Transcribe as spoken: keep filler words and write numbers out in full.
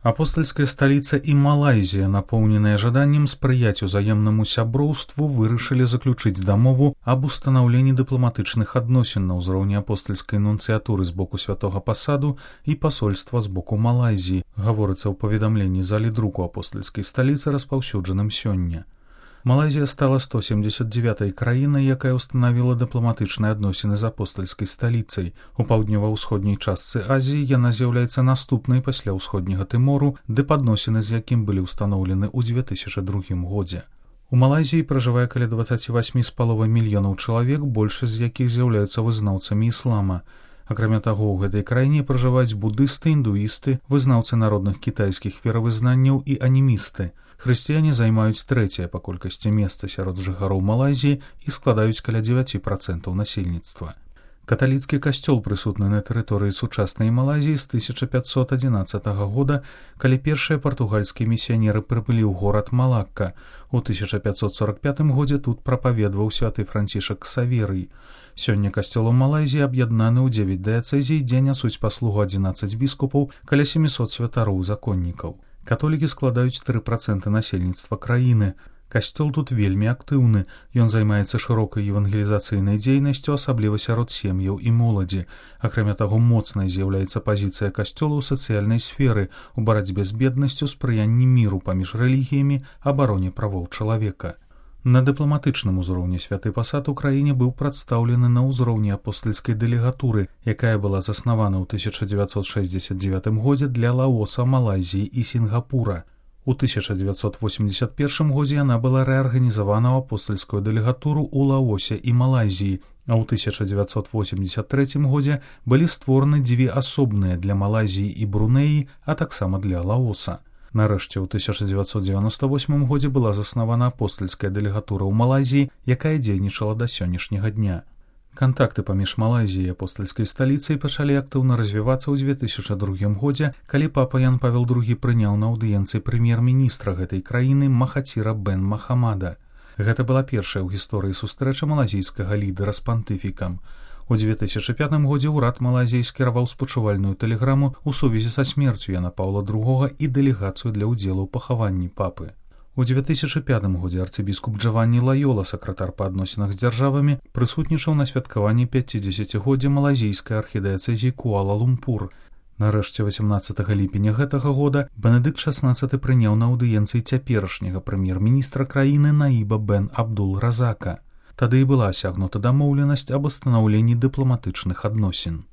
Апостольская столица и Малайзия, напоўненыя жаданнем спрыяць узаемнаму сяброўству, вырашылі заключыць дамову аб устанаўленні дыпламатычных адносін на ўзроўні апостольскай нунцыятуры з боку святога пасаду і пасольства з боку Малайзіі, гаворыцца ў паведамленні залі друку апостольскай сталіцы, распаўсюджаным сёння. Малайзія стала сто семьдесят девятой краінай, якая ўстанавіла дыпламатычныя адносіны з апостальскай сталіцай. У паўднёва-ўсходняй частцы Азіі яна з'яўляецца наступнай пасля ўсходняга Тымору, ды падносіны з якім былі ўстаноўлены ў две тысячы другім годзе. У Малайзіі пражывае каля двадцать восемь з паловай мільёнаў чалавек, большасць з якіх з'яўляюцца вызнаўцамі іслама. Акрамя таго, у гэтай краіне пражываюць будысты, індуісты, вызнаўцы народных кітайскіх веравызнанняў і анімісты. Хрысціяне займаюць трэцяе па колькасці месца сярод жыхароў Малайзіі і складаюць каля дзевяць працэнтаў насельніцтва. Каталіцкі касцёл прысутны на тэрыторыі сучаснай Малайзіі з тысяча пятьсот адзінаццатага года, калі першыя партугальскія місіянеры прыбылі ў горад Малакка. У тысяча пятьсот сорок пятым годзе тут прапаведваў святы Францішак Ксаверый. Сёння касцёл у Малайзіі аб'яднаны ў дзевяць дыяцэзій, дзе нясуць паслугу адзінаццаць біскупаў, каля семьсот святароў-законнікаў. Католікі складаюць тры працэнты насельніцтва краіны. Касцёл тут вельмі актыўны. Ён займаецца шырокай евангелізацыйнай дзейнасцю, асабліва сярод сем'яў і моладзі. Акрамя таго, моцнай з'яўляецца пазіцыя касцёла ў сацыяльнай сферы, у барацьбе з беднасцю, спрыянні міру паміж рэлігіямі, абароне правоў чалавека. На дыпламатычным узроўні святы пасад у краіне быў прадстаўлены на ўзроўні апостальскай дэлегатуры, якая была заснавана ў тысяча дзевяцьсот шэсцьдзесят дзевятым годзе для Лаоса, Малайзіі і Сінгапура. У тысяча дзевяцьсот восемьдесят первым годзе яна была рэарганізавана ў апостальскую дэлегатуру ў Лаосе і Малайзіі, а ў тысяча дзевяцьсот восемьдесят трэцім годзе былі створаны дзве асобныя для Малайзіі і Брунеі, а таксама для Лаоса. Нарэшце, у тысяча дзевяцьсот девяносто восьмым годзе была заснавана апостальская дэлегатура ў Малайзіі, якая дзейнічала да сённяшняга дня. Кантакты паміж Малайзіяй і апостальскай сталіцай пачалі актыўна развівацца ў две тысячы другім годзе, калі папа Ян Павел другі прыняў на аўдыенцыі прэм'ер-міністра гэтай краіны Махаціра бен Махамада. Гэта была першая ў гісторыі сустрэча малазійскага лідара з пантыфікам. У две тысячы пятым годзе ўрад Малайзіі скіраваў спачувальную тэлеграму ў сувязі са смерцю Яна Паўла другога і дэлегацыю для ўдзелу ў пахаванні папы. У две тысячы пятым годзе арцыбіскуп Джаванні Лайола, сакратар па адносінах з дзяржавамі, прысутнічаў на святкаванні пяцідзесяцігоддзя малазійскай архідыяцэзіі Куала-Лумпур. Нарэшце, васямнаццатага ліпеня гэтага года Бенедыкт шаснаццаты прыняў на аўдыенцыі цяперашняга прэм'ер-міністра краіны Наіба бен Абдул Разака. Тады і была асягнута дамоўленасць аб устанаўленні дыпламатычных адносін.